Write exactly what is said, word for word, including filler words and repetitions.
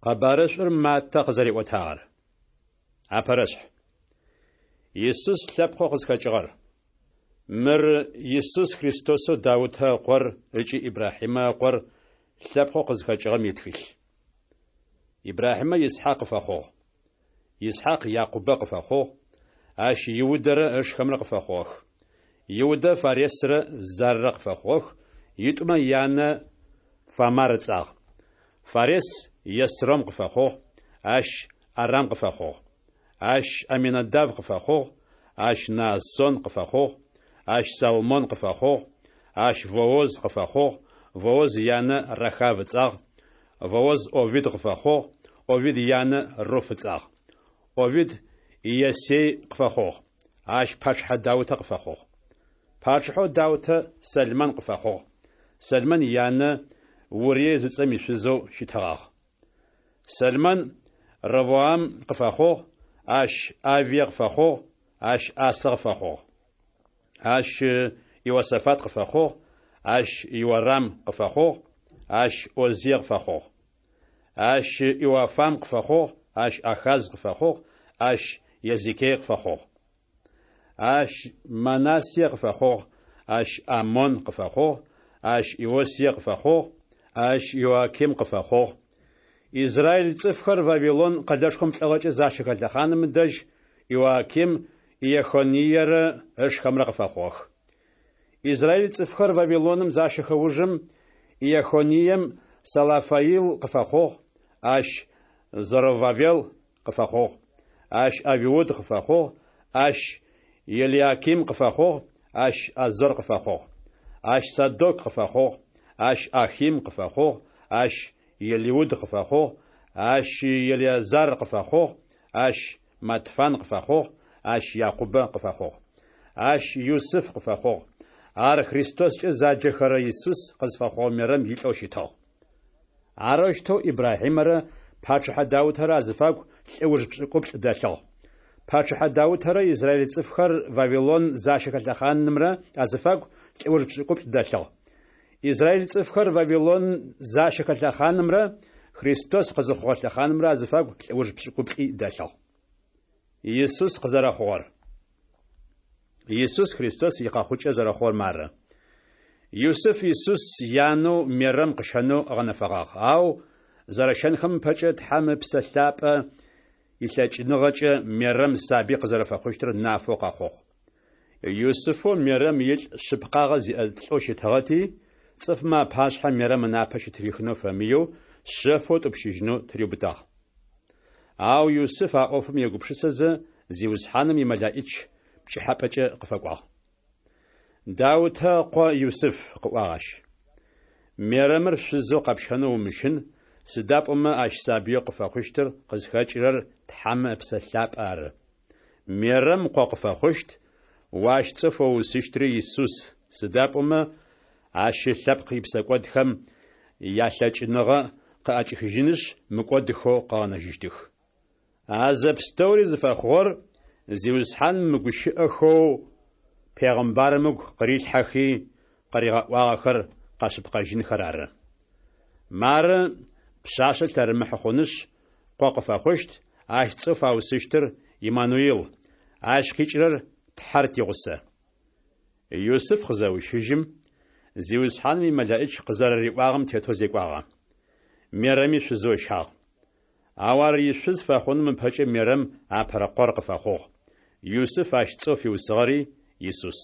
Къэбарышӏур Маттэ къызэриӏотагъэр. Апэрэшъхь. Исус лъэпкъэу къызхэкӏыгъэр. Мыр Исус Христосэу Даутэ ыкъор ыкӏи Ибрахьимэ ыкъор лъэпкъэу къызхэкӏыгъэм итхылъ. Ибрахьимэ Исхьакъ къыфэхъугъ. Исхьакъ Якъубэ къыфэхъугъ, ащ Иудэрэ ышхэмрэ къыфэхъугъэх. Иудэ Фаресрэ Заррэ къыфэхъугъэх, итӏумэ янэ Фамар ыцӏагъ. Фарес Есром къыфэхъугъ, ащ Арам къыфэхъугъ. Ащ Аминадав къыфэхъугъ, ащ Наасон къыфэхъугъ, ащ Салмон къыфэхъугъ, ащ Вооз къыфэхъугъ, Вооз янэ Рахав ыцӏагъ, Вооз Овид къыфэхъугъ, Овид янэ Руф ыцӏагъ. Овид Иессей къыфэхъугъ. Ащ пачъыхьэ Даутэ къыфэхъугъ. Пачъыхьэу Даутэ Сэлмэн къыфэхъугъ. Сэлмэн янэ Урие зыцӏэм ишъузэу щытыгъагъ. Сэлмэн Ровоам къыфэхъугъ, ащ Авие къыфэхъугъ, ащ Асэ къыфэхъугъ. Ащ Иосафат къыфэхъугъ, ащ Иорам къыфэхъугъ, ащ Озие къыфэхъугъ. Ащ Иоафам къыфэхъугъ, ащ Ахаз къыфэхъугъ, ащ Езекие къыфэхъугъ. Ащ Манассие къыфэхъугъ, ащ Амон къыфэхъугъ, ащ Иосие къыфэхъугъ, ащ Иоаким къыфэхъугъ. Израиль цӏыфхэр Вавилон къэлэшхом лӏыгъэкӏэ защэхэ лъэхъаным дэжь Иоаким Иехониерэ ышхэмрэ къыфэхъугъэх. Израиль цӏыфхэр Вавилоным защэхэ ужым Иехонием Салафаил къыфэхъугъ, ащ Зоровавел къыфэхъугъ, ащ Авиуд къыфэхъугъ, ащ Елиаким къыфэхъугъ, ащ Азор къыфэхъугъ. Ащ Садок къыфэхъугъ, ащ Ахим къыфэхъугъ, ащ Елиуд къыфэхъугъ, ащ Елиазар къыфэхъугъ, ащ Матфан къыфэхъугъ, ащ Якъубэ къыфэхъугъ. Ащ Юсыф къыфэхъугъ. Ар Христоскӏэ заджэхэрэ Исус къызфэхъугъэ Мерэм илӏэу щытыгъ. Арэущтэу Ибрахьимэрэ пачъыхьэ Даутэрэ азыфагу лӏэуж пшӏыкӏуплӏ дэлъыгъ. Пачъыхьэ Даутэрэ израиль цӏыфхэр Вавилон защэхэ лъэхъанымрэ азыфагу лӏэуж пшӏыкӏуплӏ дэлъыгъ. Израиль цӏыфхэр Вавилон защэхэ лъэхъанымрэ Христос къызыхъугъэ лъэхъанымрэ азыфагу лӏэуж пшӏыкӏуплӏи дэлъыгъ. Исус къызэрэхъугъэр. Исус Христос икъэхъукӏэ зэрэхъугъэр мары. Юсыф Исус янэу Мерэм къыщэнэу ыгъэнэфэгъагъ. Ау зэрэщэнхэм ыпэкӏэ Тхьэм Ыпсэ Лъапӏэ илъэкӏыныгъэкӏэ Мерэм сабый къызэрэфэхъущтыр нафэу къэхъугъ. Юсыфэу Мерэм илӏ шъыпкъагъэ зиӏэ лӏэу щытыгъэти, цӏыфмэ апашъхьэ Мерэм ынапэ щытырихынэу фэмыеу, шъэфэу ытӏупщыжьынэу тыриубытагъ. Ау Юсыф а ӏофым егупшысэзэ, Зиусхьаным имэлаӏич пкӏыхьапӏэкӏэ къыфэкӏуагъ. Даутэ ыкъо Юсыф, къыӏуагъ ащ. Мерэмыр шъузэу къэпщэнэу умыщын, сыда пӏомэ ащ сабыеу къыфэхъущтыр къызхэкӏырэр Тхьэмэ Ыпсэ Лъапӏэ ары. Мерэм къо къыфэхъущт, о ащ цӏэу фэуусыщтри Исус, сыда пӏомэ ащ ылъэпкъ ипсэкӏодхэм ялъэкӏыныгъэ къыӏэкӏихыжьынышъ, мыкӏодыхэу къыгъэнэжьыщтых. А зэпстэури зыфэхъугъэр Зиусхьаным мыгущыӏэхэу пегъымбарым ыгу къырилъхьэхи къыригъэӏуагъэхэр къэшъыпкъэжьынхэр ары. Мары пшъашъэ лъэрымыхьы хъунышъ, къо къыфэхъущт, ащ цӏэу фаусыщтыр Иммануил, ащ къикӏырэр Тхьэр тигъусэ. Юсыф къызэущыжьым, Зиусхьаным имэлаӏич къызэрэриӏуагъэм тетэу зекӏуагъэ. Мерэми шъузэу ыщагъ. Ау ар ишъуз фэхъуным ыпэкӏэ Мерэм апэрэ къор къыфэхъугъ. Юсыф ащ цӏэу фиусыгъэри Исус.